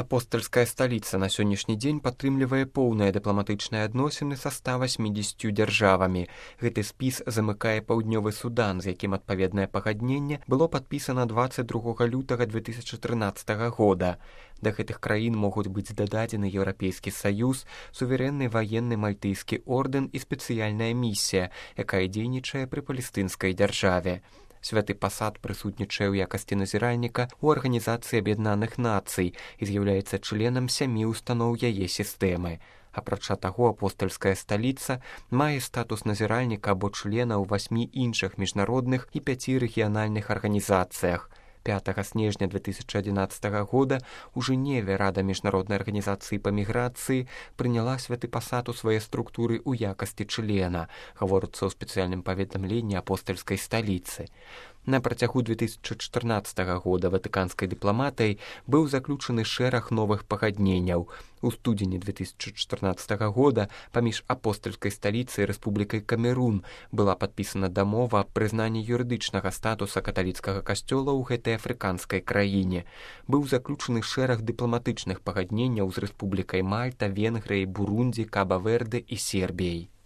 Апостальская сталіца на сённяшні дзень падтрымлівае поўныя дыпламатычныя адносіны са 180 дзяржавамі. Гэты спіс замыкае паўднёвы Судан, з якім адпаведнае пагадненне было падпісана 22 лютага 2013 года. Да гэтых краін могуць быць дададзены Еўрапейскі саюз, суверэнны ваенны мальтыйскі ордэн і спецыяльная місія, якая дзейнічае пры палестынскай дзяржаве. Святы пасад прысутнічае ў якасці назіральніка ў Арганізацыі Аб'яднаных Нацый і з'яўляецца членам 7 устаноў яе сістэмы. Апрача таго, апостальская сталіца мае статус назіральніка або члена ў 8 іншых міжнародных і 5 рэгіянальных арганізацыях. 5 снежня 2011 года у Жэневе Рада міжнароднай арганізацыі па міграцыі прыняла святы пасад у свае структуры ў якасці члена, гаворыцца ў спецыяльным паведамленні апостальскай сталіцы. На працягу 2014 года ватыканскай дыпламатыяй быў заключаны шэраг новых пагадненняў. У студзені 2014 года паміж апостальскай сталіцай і Рэспублікай Камерун была падпісана дамова аб прызнанні юрыдычнага статуса каталіцкага касцёла ў гэтай афрыканскай краіне. Быў заключаны шэраг дыпламатычных пагадненняў з Рэспублікай Мальта, Венгрыяй, Бурундзі, Каба-Верде і Сербіяй.